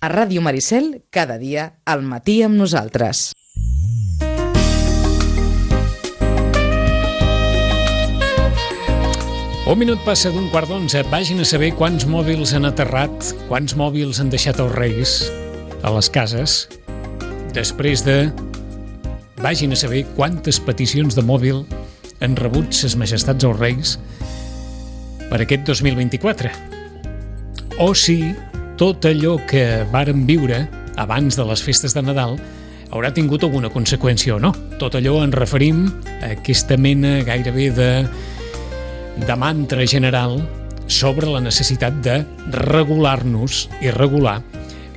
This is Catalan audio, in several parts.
A Ràdio Maricel, cada dia, al matí amb nosaltres. Un minut passa d'un 10:15. Vagin a saber quants mòbils han aterrat, quants mòbils han deixat els reis a les cases. Després de... Vagin a saber quantes peticions de mòbil han rebut ses majestats els reis per aquest 2024. O si tot allò que varen viure abans de les festes de Nadal haurà tingut alguna conseqüència o no. Tot allò en referim a aquesta mena gairebé de mantra general sobre la necessitat de regular-nos i regular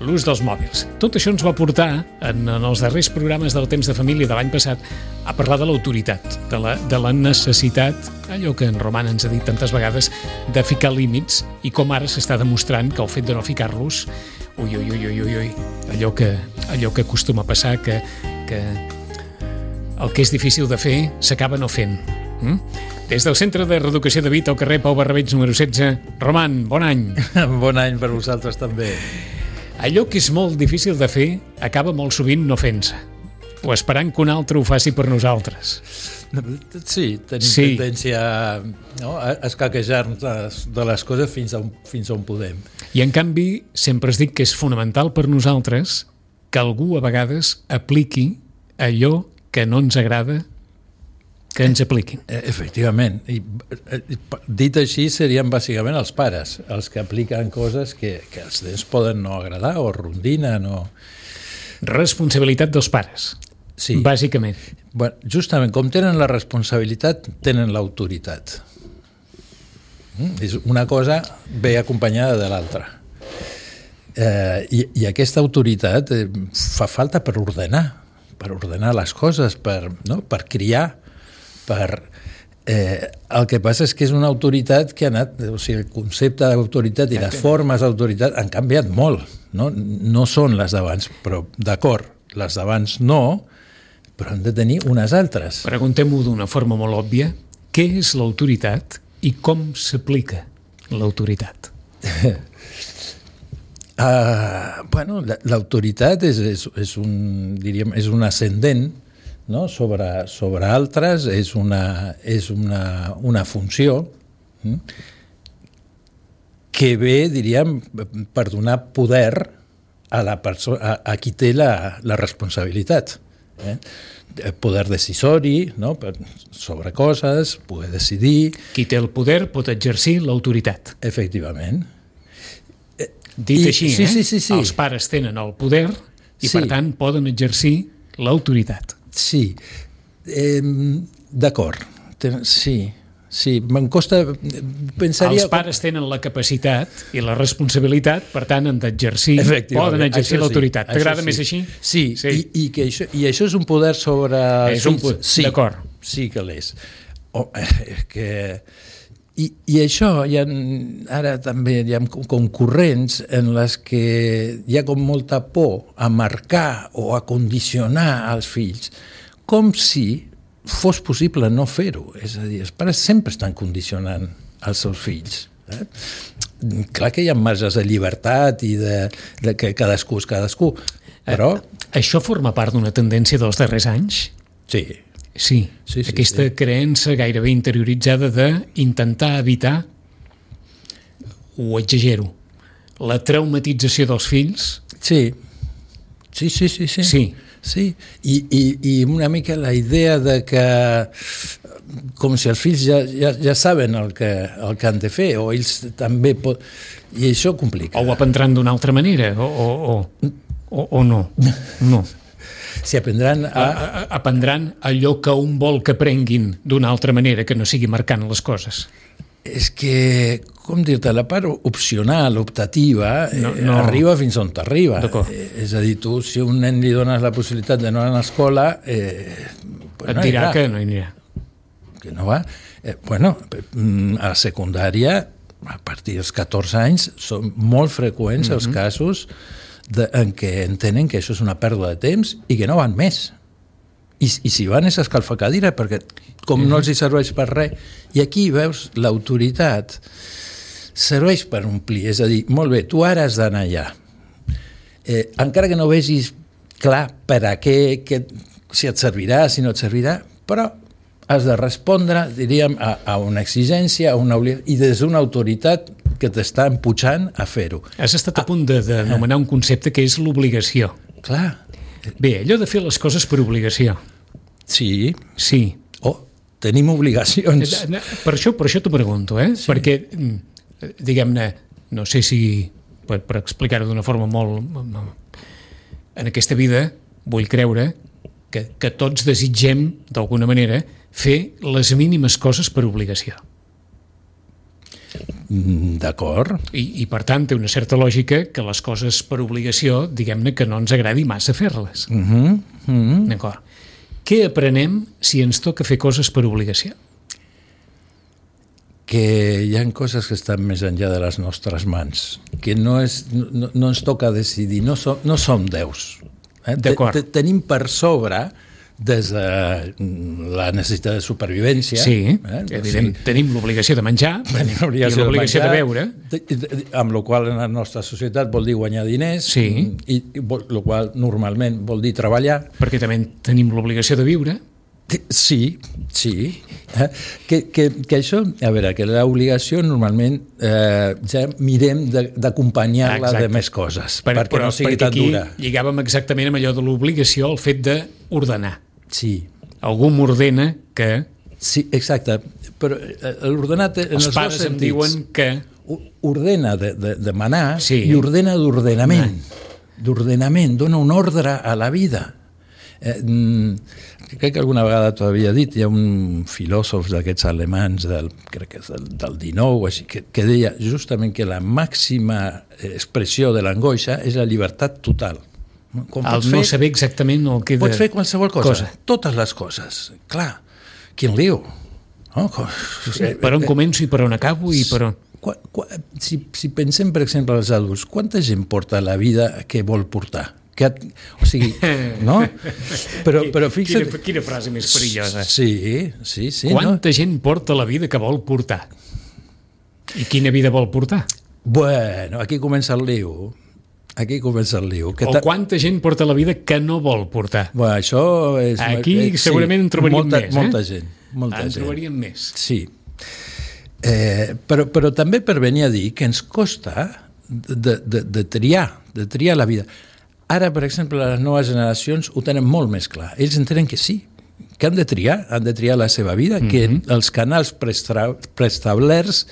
l'ús dels mòbils. Tot això ens va portar, en els darrers programes del Temps de Família de l'any passat, a parlar de l'autoritat, de la necessitat, allò que en Roman ens ha dit tantes vegades, de ficar límits, i com ara s'està demostrant que el fet de no ficar-los, allò que acostuma a passar, que el que és difícil de fer s'acaba no fent. Des del Centre de Reeducació de Vita al carrer Pau Barrabeig número 16. Roman, bon any. Bon any per vosaltres també. Allò que és molt difícil de fer acaba molt sovint no fent-se, o esperant que un altre ho faci per nosaltres. Sí, tenim tendència a escaquejar-nos de les coses fins on podem. I en canvi, sempre es dic que és fonamental per nosaltres que algú a vegades apliqui allò que no ens agrada que ens apliquin. Efectivament. I, dit així, serien bàsicament els pares, els que apliquen coses que als nens poden no agradar o rondinen o... Responsabilitat dels pares, sí. Bàsicament. Bueno, justament, com tenen la responsabilitat, tenen l'autoritat. Una cosa ve acompanyada de l'altra. I aquesta autoritat fa falta per ordenar les coses, per criar, el que passa és que és una autoritat que ha anat, o sigui, el concepte d'autoritat i les formes d'autoritat han canviat molt, no són les d'abans, però d'acord, les d'abans no, però han de tenir unes altres. Preguntem-ho d'una forma molt òbvia, què és l'autoritat i com s'aplica l'autoritat? Bueno, l'autoritat és un ascendent, no? sobre altres, és una funció que ve, diríem, per donar poder a qui té la responsabilitat. Poder decisori, no? Sobre coses, poder decidir... Qui té el poder pot exercir l'autoritat. Efectivament. Dit així, sí. Els pares tenen el poder i, per tant, poden exercir l'autoritat. Sí, d'acord, sí, me'n costa... Els pares tenen la capacitat i la responsabilitat, per tant, han d'exercir, poden exercir l'autoritat. T'agrada més així? Sí, i això és un poder sobre... Sí, d'acord. Sí que l'és. I això, ara també hi ha com corrents en les que hi ha com molta por a marcar o a condicionar els fills, com si fos possible no fer-ho. És a dir, els pares sempre estan condicionant els seus fills. Clar que hi ha marges de llibertat i de que cadascú és cadascú, però... Això forma part d'una tendència dels darrers anys? Sí, aquesta creença gairebé interioritzada d'intentar evitar, ho exagero, la traumatització dels fills? Sí. I una mica la idea de que com si els fills ja saben el que han de fer, o ells també i això complica. O ho aprendran d'una altra manera, o no. No. Si aprendran aprendran allò que un vol que aprenguin d'una altra manera, que no sigui marcant les coses. És que, com dir-te, la part opcional, optativa, no arriba fins on t'arriba. És a dir, tu, si a un nen li dones la possibilitat d'anar a l'escola... Et dirà que no hi anirà. Que no va. A secundària, a partir dels 14 anys, són molt freqüents els casos en què entenen que això és una pèrdua de temps i que no van més. I si van és escalfacadira, perquè com no els hi serveix per res. I aquí, veus, l'autoritat serveix per omplir. És a dir, molt bé, tu ara has d'anar allà. encara que no vegis clar per a què, si et servirà, si no et servirà, però has de respondre, diríem, a una exigència, a una obligació, i des d'una autoritat que t'està empujant a fer-ho. Has estat a punt d'anomenar un concepte que és l'obligació. Clar. Bé, allò de fer les coses per obligació. Sí. Sí. Tenim obligacions. Per això t'ho pregunto, sí. Perquè, diguem-ne, no sé si, per explicar-ho d'una forma molt... En aquesta vida vull creure que tots desitgem, d'alguna manera, fer les mínimes coses per obligació. D'acord. I per tant, té una certa lògica que les coses per obligació, diguem-ne, que no ens agradi massa fer-les. D'acord. Què aprenem si ens toca fer coses per obligació? Que hi ha coses que estan més enllà de les nostres mans, que no ens toca decidir, no som déus. D'acord. Tenim per sobre, des de la necessitat de supervivència... Sí, evident, tenim l'obligació de menjar i l'obligació de beure. Amb la qual en la nostra societat vol dir guanyar diners, i el qual normalment vol dir treballar. Perquè també tenim l'obligació de viure. Sí. Que això, a veure, que l'obligació normalment ja mirem d'acompanyar-la de més coses, perquè no sigui tan dura. Perquè aquí lligàvem exactament amb allò de l'obligació, el fet d'ordenar. Sí. Algú m'ordena que... Sí, exacte, però l'ordenat en els dos sentits. Els pares em diuen que... Ordena de manar i ordena d'ordenament. D'ordenament, dona un ordre a la vida. Crec que alguna vegada t'ho havia dit, hi ha un filòsof d'aquests alemans crec que és del 19 així, que deia justament que la màxima expressió de l'angoixa és la llibertat total. No saber exactament el que... Pots fer qualsevol cosa, totes les coses. Clar, quin lío. Per on començo i per on acabo i per on... Si pensem, per exemple, als adults, quanta gent porta la vida que vol portar? O sigui, no? Però fixa't... Quina frase més perillosa. Sí. Quanta gent porta la vida que vol portar? I quina vida vol portar? Bueno, aquí comença el lío. O quanta gent porta la vida que no vol portar? Bueno, això és... Aquí segurament en trobaríem més. Molta gent. En trobaríem més. Sí. Però també per venir a dir que ens costa de triar la vida. Ara, per exemple, les noves generacions ho tenen molt més clar. Ells entenen que sí, que han de triar la seva vida, que els canals preestablerts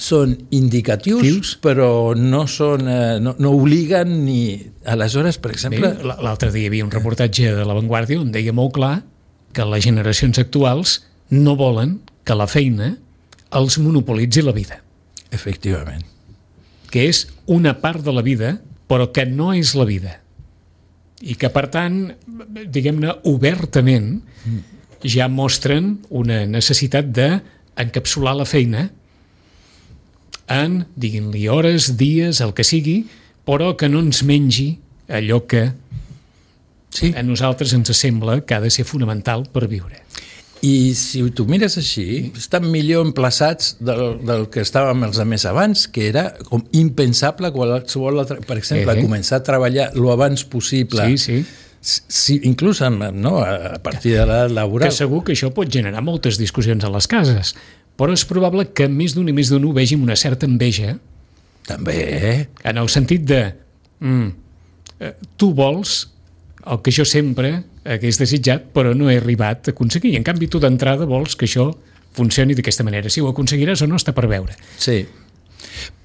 són indicatius, però no obliguen ni... Aleshores, per exemple... L'altre dia hi havia un reportatge de La Vanguardia on deia molt clar que les generacions actuals no volen que la feina els monopolitzi la vida. Efectivament. Que és una part de la vida, però que no és la vida. I que, per tant, diguem-ne, obertament, ja mostren una necessitat d'encapsular la feina en, diguin-li, hores, dies, el que sigui, però que no ens mengi allò que a nosaltres ens sembla que ha de ser fonamental per viure. I si tu mires així, estan millor emplaçats del que estàvem els més abans, que era com impensable qualsevol altre... Per exemple, començar a treballar lo abans possible. Sí, inclús a partir de l'edat laboral. Que segur que això pot generar moltes discussions a les cases, però és probable que més d'un i més d'un ho vegi amb una certa enveja. També. En el sentit de... tu vols el que jo sempre hagués desitjat, però no he arribat a aconseguir. I en canvi, tu d'entrada vols que això funcioni d'aquesta manera. Si ho aconseguiràs o no, està per veure. Sí.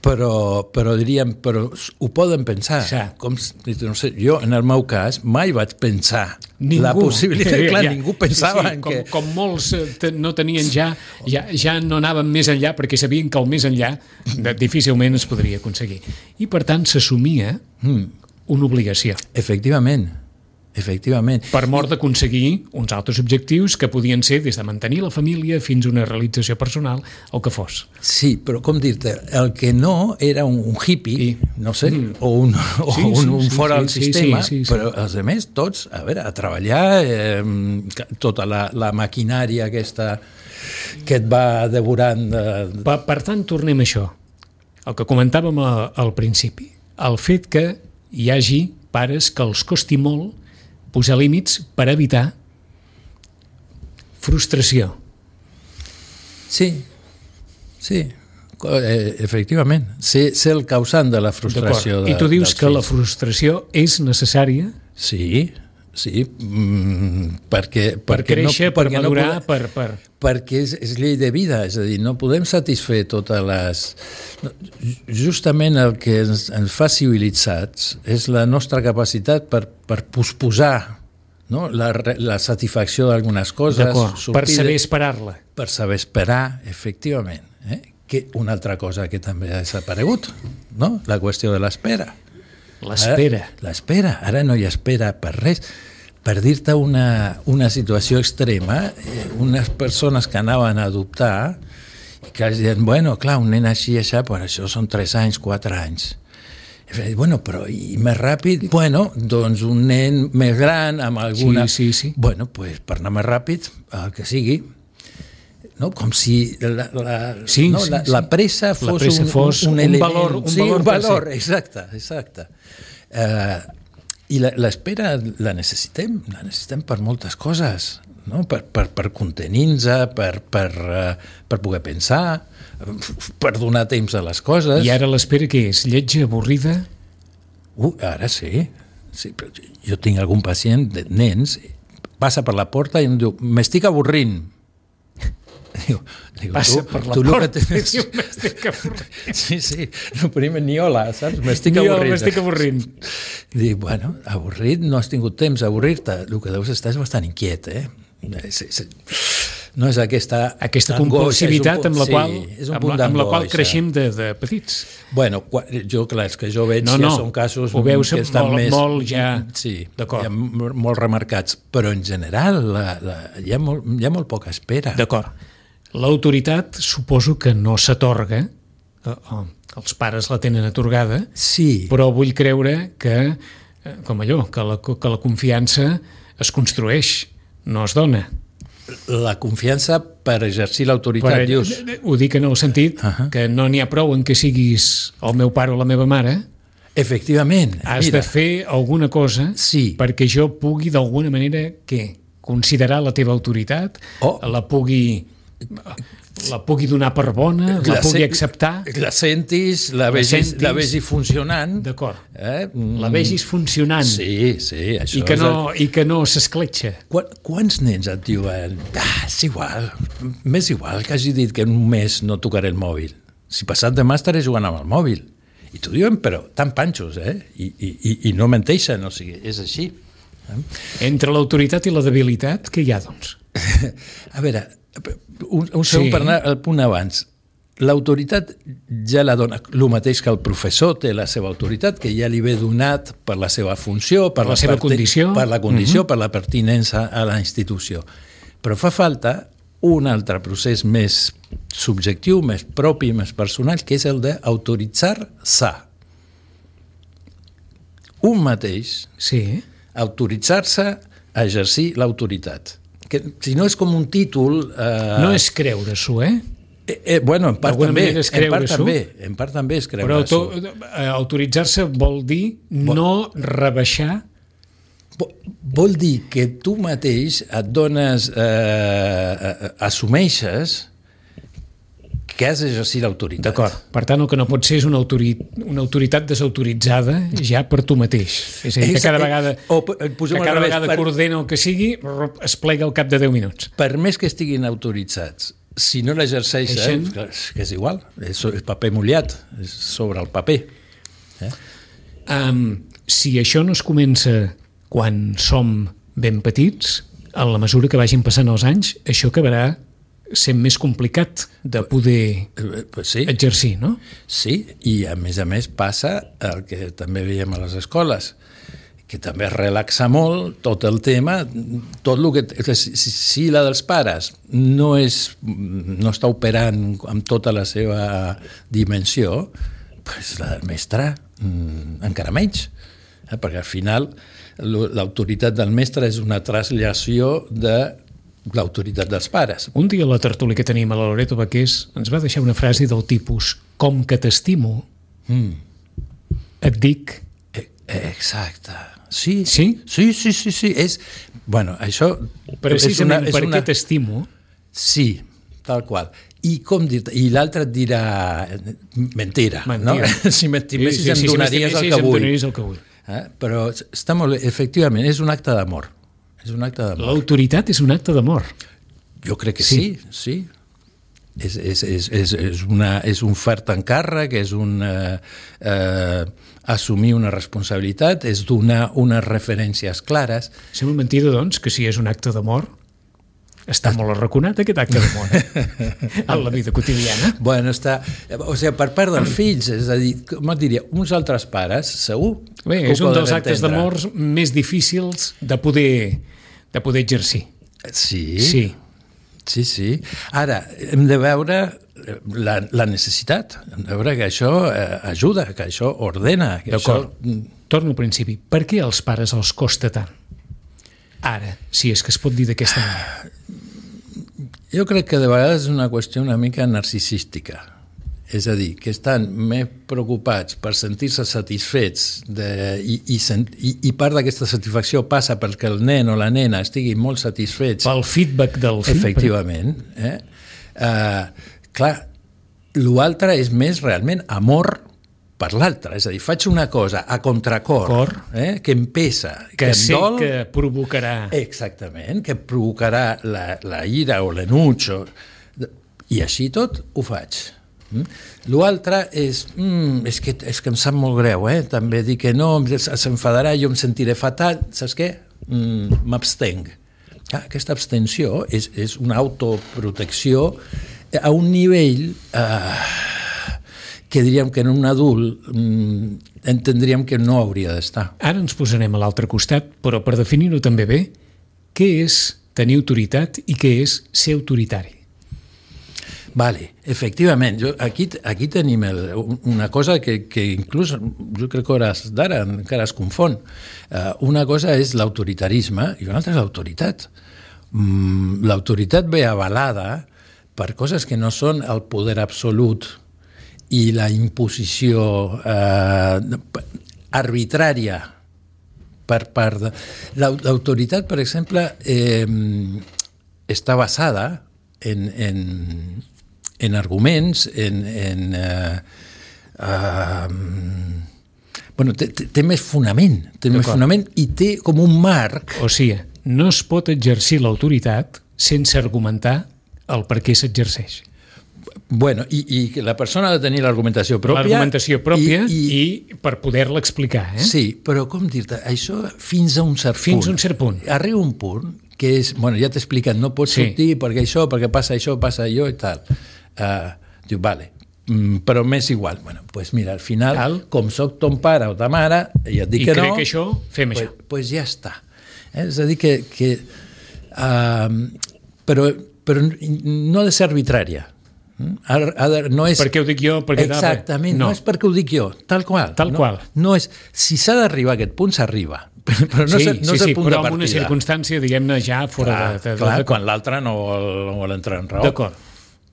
Però diríem, ho poden pensar. No sé, jo, en el meu cas, mai vaig pensar la possibilitat. Clar, ningú pensava en que... Com molts no tenien ja no anaven més enllà perquè sabien que el més enllà difícilment es podria aconseguir. I, per tant, s'assumia una obligació. Efectivament. Per mort d'aconseguir uns altres objectius que podien ser des de mantenir la família fins a una realització personal, el que fos. Sí, però com dir-te, el que no era un hippie, no sé, o un fora del sistema, però els altres tots, a veure, a treballar, tota la maquinària aquesta que et va devorant... Per tant, tornem a això, el que comentàvem al principi, el fet que hi hagi pares que els costi molt posar límits per evitar frustració. Sí, efectivament. Ser el causant de la frustració. I tu dius que la frustració és necessària? Sí, perquè per créixer, per madurar, perquè és llei de vida, és a dir, no podem satisfer totes les... Justament el que ens fa civilitzats és la nostra capacitat per posposar, no? la satisfacció d'algunes coses. D'acord, per saber esperar-la. Per saber esperar, efectivament. Que una altra cosa que també ha desaparegut, no? La qüestió de l'espera. L'espera. Ara no hi espera per res. Per dir-te una situació extrema, unes persones que anaven a adoptar i que deien, bueno, clar, un nen així, per això són 3 anys, 4 anys. I bueno, però i més ràpid? Bueno, doncs un nen més gran, amb alguna... Sí. Bueno, pues, per anar més ràpid, el que sigui, no? Com si la pressa fos un element... Un valor, exacte. I l'espera la necessitem per moltes coses, no? Per contenir-nos, per poder pensar, per donar temps a les coses. I ara l'espera què és? Lletja, avorrida? Ara sí, però jo tinc algun pacient de nens, passa per la porta i em diu, m'estic avorrint. Diu, passa per la porta i diu, m'estic avorrint. Sí, no primer ni hola, saps? M'estic avorrint. Dic, bueno, avorrit, no has tingut temps d'avorrir-te, el que deus estar és bastant inquiet, No és aquesta compulsivitat amb la qual creixem de petits. Bueno, els que jo veig ja són casos que estan molt ja molt remarcats, però en general hi ha molt poca espera. D'acord. L'autoritat suposo que no s'atorga, els pares la tenen atorgada, però vull creure que, com allò, que la confiança es construeix, no es dona. La confiança per exercir l'autoritat, dius? Ho dic en el sentit que no n'hi ha prou en que siguis el meu pare o la meva mare. Efectivament. Has de fer alguna cosa perquè jo pugui d'alguna manera considerar la teva autoritat, la pugui donar per bona, la pugui acceptar. La sentis, la vegis funcionant. D'acord. La vegis funcionant. Sí, això I que no s'escletxa. Quants nens et diuen és igual, m'és igual que hagi dit que en un mes no tocaré el mòbil. Si passat demà estaré jugant amb el mòbil. I t'ho diuen, però tan panxos, I no menteixen, o sigui, és així. Entre l'autoritat i la debilitat, què hi ha, doncs? A veure, un segon per anar al punt abans. L'autoritat ja la dona, el mateix que el professor té la seva autoritat, que ja li ve donat per la seva funció, per la seva condició, per la pertinença a la institució. Però fa falta un altre procés més subjectiu, més propi, més personal, que és el d'autoritzar-se. Un mateix, autoritzar-se a exercir l'autoritat. Que si no és com un títol... No és creure-s'ho, Bueno, en part també és creure-s'ho. Però autoritzar-se vol dir no rebaixar... Vol dir que tu mateix et dones... assumeixes que has d'exercir l'autoritat. D'acord. Per tant, el que no pot ser és una autoritat desautoritzada ja per tu mateix. És a dir, que cada vegada que ordena el que sigui es plega al cap de 10 minuts. Per més que estiguin autoritzats, si no l'exerceixen, que és igual, és paper mullat, és sobre el paper. Si això no es comença quan som ben petits, a la mesura que vagin passant els anys, això acabarà sent més complicat de poder exercir, no? Sí, i a més passa el que també veiem a les escoles, que també es relaxa molt tot el tema, tot el que... Si la dels pares no està operant amb tota la seva dimensió, doncs la del mestre encara menys, perquè al final l'autoritat del mestre és una traslació de l'autoritat dels pares. Un dia a la tertúlia que tenim a la Loreto Baqués ens va deixar una frase del tipus: com que t'estimo, et dic Exacte. Sí? Sí? Sí. És, bueno, això... Precisament perquè t'estimo. Sí, tal qual. I com dir-te? I l'altre et dirà mentira. No? Si m'estimessis em donaries el que vull. Però està molt bé. Efectivament, és un acte d'amor. L'autoritat és un acte d'amor. Jo crec que sí. És un fert encàrrec, és un assumir una responsabilitat, és donar unes referències clares. Sembla mentida, doncs, que si és un acte d'amor, està molt arraconat aquest acte d'amor en la vida quotidiana. Bueno, està... O sigui, per part dels fills, és a dir, com et diria, uns altres pares, segur. Bé, és un dels actes d'amor més difícils de poder exercir. Sí. Ara, hem de veure la necessitat, hem de veure que això ajuda, que això ordena. D'acord. Torno al principi. Per què als pares els costa tant? Ara, si és que es pot dir d'aquesta manera. Jo crec que de vegades és una qüestió una mica narcisística. És a dir, que estan més preocupats per sentir-se satisfets i part d'aquesta satisfacció passa perquè el nen o la nena estigui molt satisfets. Pel feedback del fill. Efectivament. Clar, l'altre és més realment amor per l'altre. És a dir, faig una cosa a contracor, que em pesa, que em sé dol, que provocarà... Exactament, que provocarà la ira o l'enuig. I així tot ho faig. L'altre és que em sap molt greu, també dir que no, s'enfadarà, jo em sentiré fatal, saps què? M'abstenc. Aquesta abstenció és una autoprotecció a un nivell que diríem que en un adult entendríem que no hauria d'estar. Ara ens posarem a l'altre costat, però per definir-ho també bé, què és tenir autoritat i què és ser autoritari? Vale, efectivament, aquí tenim una cosa que inclús jo crec que hores d'ara encara es confon. Una cosa és l'autoritarisme i una altra és l'autoritat. L'autoritat ve avalada per coses que no són el poder absolut i la imposició arbitrària per part de... L'autoritat, per exemple, està basada en arguments, té més fonament, i té com un marc. O sigui, no es pot exercir l'autoritat sense argumentar el per què s'exerceix. Bueno, i la persona ha de tenir l'argumentació pròpia. L'argumentació pròpia i per poder-la explicar. Sí, però com dir-te, això fins a un cert punt. Fins a un cert punt. Arriba un punt que és, bueno, ja t'he explicat, no pots sortir perquè això, perquè passa això, passa allò i tal. Diu, vale, però m'és igual. Bueno, doncs mira, al final, com soc ton pare o ta mare, i et dic que no... I crec que això, fem això. Doncs ja està. És a dir que però no ha de ser arbitrària. No és... Perquè ho dic jo, perquè... Exactament, no és perquè ho dic jo, tal qual. Tal qual. No és, si s'ha d'arribar a aquest punt, s'arriba. Però no és el punt de partida. Però en una circumstància, diguem-ne, ja fora de... Clar, quan l'altre no vol entrar en raó. D'acord.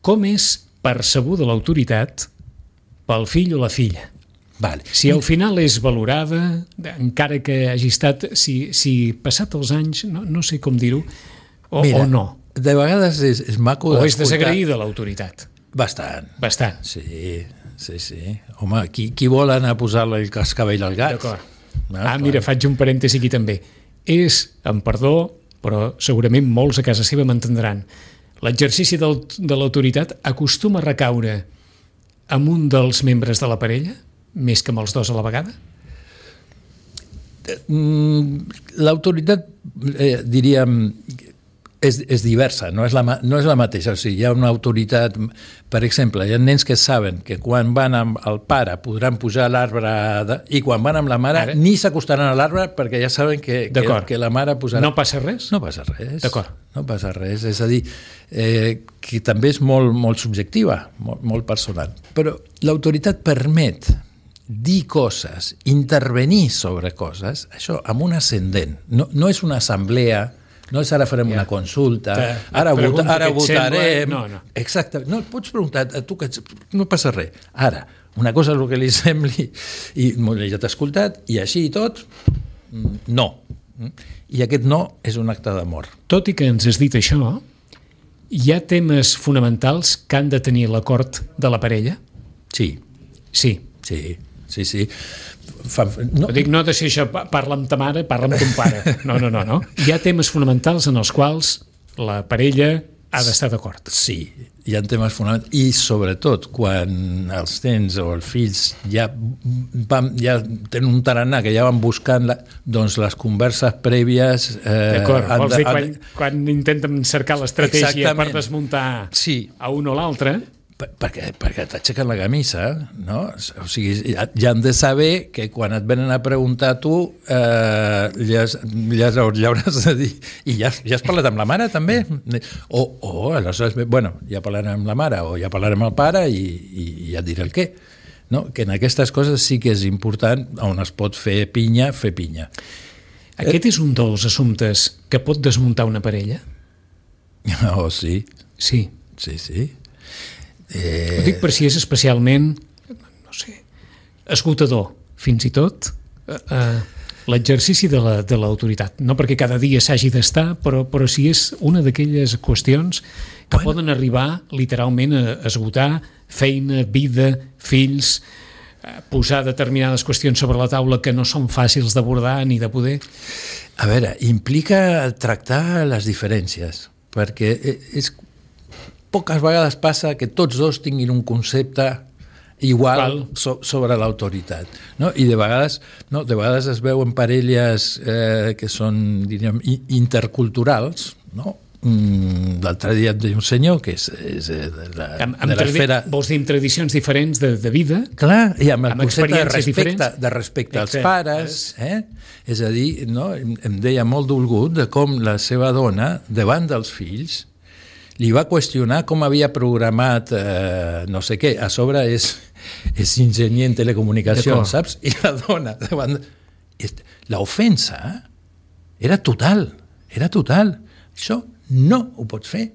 Com és percebuda l'autoritat pel fill o la filla? Vale. Si al final és valorada, encara que hagi estat, si passat els anys, no sé com dir-ho, o no. De vegades és maco d'escoltar. O és desagraïda l'autoritat. Bastant. Sí. Home, qui vol anar a posar el cascavell al gat? D'acord. Mira, faig un parèntesi aquí també. És, amb perdó, però segurament molts a casa seva m'entendran, l'exercici de l'autoritat acostuma a recaure amb un dels membres de la parella, més que amb els dos a la vegada? L'autoritat, diríem, és diversa, no és la mateixa. O sigui, hi ha una autoritat, per exemple, hi ha nens que saben que quan van amb el pare podran pujar a l'arbre i quan van amb la mare ni s'acostaran a l'arbre perquè ja saben que la mare posarà... No passa res? No passa res. D'acord. No passa res. És a dir, que també és molt subjectiva, molt personal. Però l'autoritat permet dir coses, intervenir sobre coses, això amb un ascendent. No és una assemblea. No és ara farem una consulta, ara votarem... No. Exacte, no, et pots preguntar, tu que no passa res. Ara, una cosa és el que li sembli i ja t'ha escoltat, i així i tot, no. I aquest no és un acte d'amor. Tot i que ens has dit això, hi ha temes fonamentals que han de tenir l'acord de la parella? Sí. Sí. No. Dic, no ha de ser això, parla amb ta mare, parla amb ton pare. No. Hi ha temes fonamentals en els quals la parella ha d'estar d'acord. Sí, hi ha temes fonamentals i sobretot quan els nens o els fills ja tenen un tarannà que ja van buscant doncs les converses prèvies... D'acord, vols dir quan intenten cercar l'estratègia per desmuntar a un o l'altre... Perquè t'aixequen la camisa, no? O sigui, ja han de saber que quan et venen a preguntar a tu ja hauràs de dir i ja has parlat amb la mare també o aleshores, bueno, ja parlarem amb la mare o ja parlarem amb el pare i ja et diré el què, no? Que en aquestes coses sí que és important, on es pot fer pinya. Aquest és un dels assumptes que pot desmuntar una parella? Oh, sí. Sí. Ho dic per si és especialment, no sé, esgotador, fins i tot, l'exercici de l'autoritat. No perquè cada dia s'hagi d'estar, però si és una d'aquelles qüestions que poden arribar literalment a esgotar feina, vida, fills, posar determinades qüestions sobre la taula que no són fàcils d'abordar ni de poder. A veure, implica tractar les diferències, perquè poques vegades passa que tots dos tinguin un concepte igual sobre l'autoritat, no? I de vegades es veuen parelles que són, diríem, interculturals, no? L'altre dia et deia un senyor que és de l'esfera... Vols dir amb tradicions diferents de vida? Clar, i amb el concepte de respecte als pares, és a dir, no? Em deia molt dolgut de com la seva dona, davant dels fills, li va qüestionar com havia programat no sé què, a sobre és enginyer en telecomunicacions, saps? I la dona davant... L'ofensa era total. Això no ho pots fer.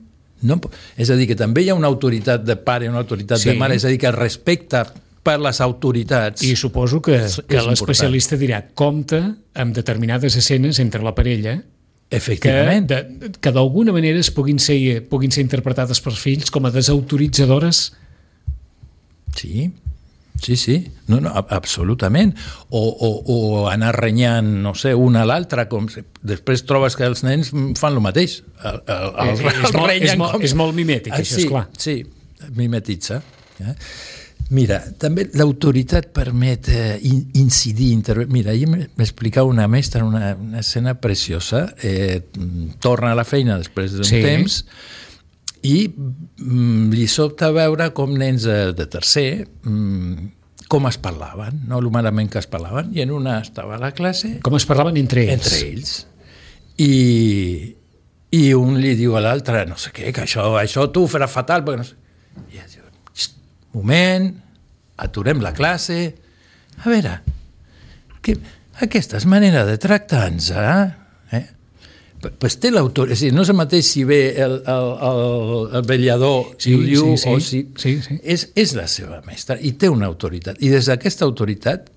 És a dir, que també hi ha una autoritat de pare i una autoritat de mare, és a dir, que el respecte per les autoritats... I suposo que l'especialista dirà compte amb determinades escenes entre la parella efectivament, que d'alguna manera puguin ser interpretades pels fills com a desautoritzadores. Sí, no, absolutament. O anar renyant, no sé, una a l'altra, després trobes que els nens fan el mateix. És molt mimètic, això, esclar. Sí, mimetitza. Mira, també l'autoritat permet incidir, Mira, ahir m'explicava una mestra una escena preciosa, torna a la feina després d'un temps i li sobta veure com nens de tercer com es parlaven, no? El malament que es parlaven, i en una estava a la classe... Com es parlaven entre ells? Entre ells. I un li diu a l'altre, no sé què, que això tu ho faràs fatal, perquè no sé... I diu, moment, aturem la classe. A veure, aquesta és manera de tractar-nos, pues té l'autor, és a dir, no és el mateix si ve el vetllador i ho diu o si... És la seva mestra i té una autoritat. I des d'aquesta autoritat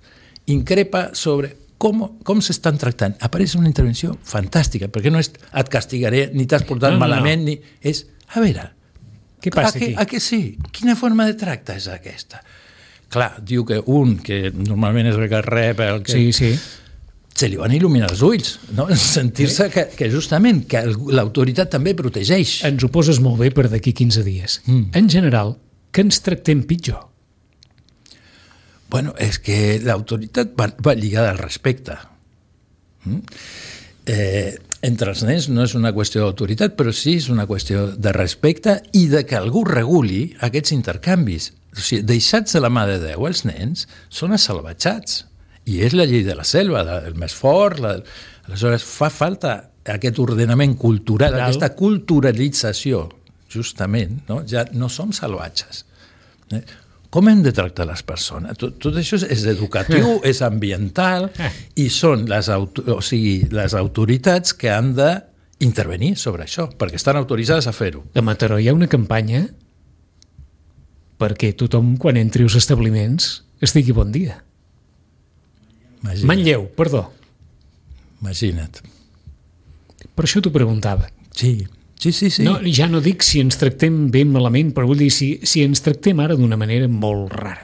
increpa sobre com s'estan tractant. Apareix una intervenció fantàstica, perquè no és et castigaré, ni t'has portat malament, ni... És, a veure... Què passa aquí? A què sí? Quina forma de tracte és aquesta? Clar, diu que un, que normalment és el que rep... Se li van il·luminar els ulls, no? Sentir-se que justament que l'autoritat també protegeix. Ens ho poses molt bé per d'aquí 15 dies. En general, que ens tractem pitjor? Bueno, és que l'autoritat va lligada al respecte. Entre els nens no és una qüestió d'autoritat, però sí és una qüestió de respecte i de que algú reguli aquests intercanvis. O sigui, deixats de la mà de Déu, els nens són assalvatjats. I és la llei de la selva, el més fort. Aleshores, fa falta aquest ordenament cultural, aquesta culturalització, justament. No? Ja no som salvatges. Com hem de tractar les persones? Tot això és educatiu, és ambiental, i són les autoritats que han d'intervenir sobre això, perquè estan autoritzades a fer-ho. A Mataró hi ha una campanya perquè tothom, quan entri als establiments, es digui bon dia. Manlleu, perdó. Imagina't. Per això t'ho preguntava. Sí. No, ja no dic si ens tractem bé malament, però vull dir si ens tractem ara d'una manera molt rara.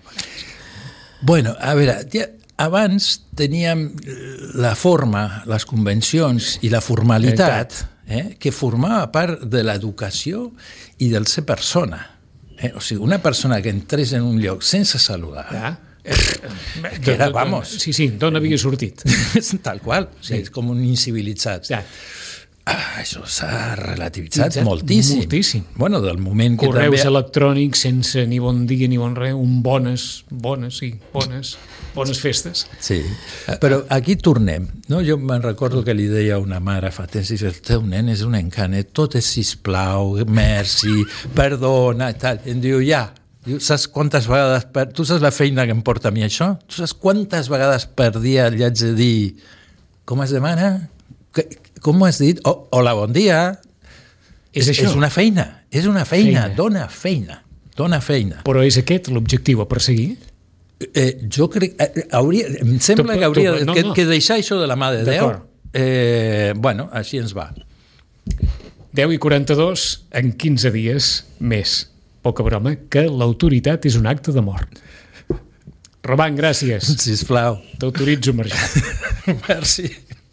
Bueno, a veure, abans teníem la forma, les convencions i la formalitat que formava part de l'educació i del ser persona. O sigui, una persona que entrés en un lloc sense saludar... que era, vamos... Sí, d'on havia sortit? Tal qual, és com un incivilitzat. Això s'ha relativitzat moltíssim. Bueno, del moment que correus electrònics sense ni bon dia ni bon res, bones festes. Sí, però aquí tornem. No? Jo me'n recordo que li deia a una mare fa temps, el teu nen és un encanet, tot és sisplau, merci, perdona, tal. I em diu, saps quantes vegades... Tu saps la feina que em porta a mi això? Tu saps quantes vegades per dia li haig de dir com es demana? Com ho has dit? Hola, bon dia. És una feina, dona feina. Però és aquest l'objectiu a perseguir? Jo crec... em sembla que hauria que deixar això de la mà de Déu. Bueno, així ens va. 10:42, en 15 dies més. Poca broma, que l'autoritat és un acte de mort. Roman, gràcies. Sisplau. T'autoritzo a marxar. Merci.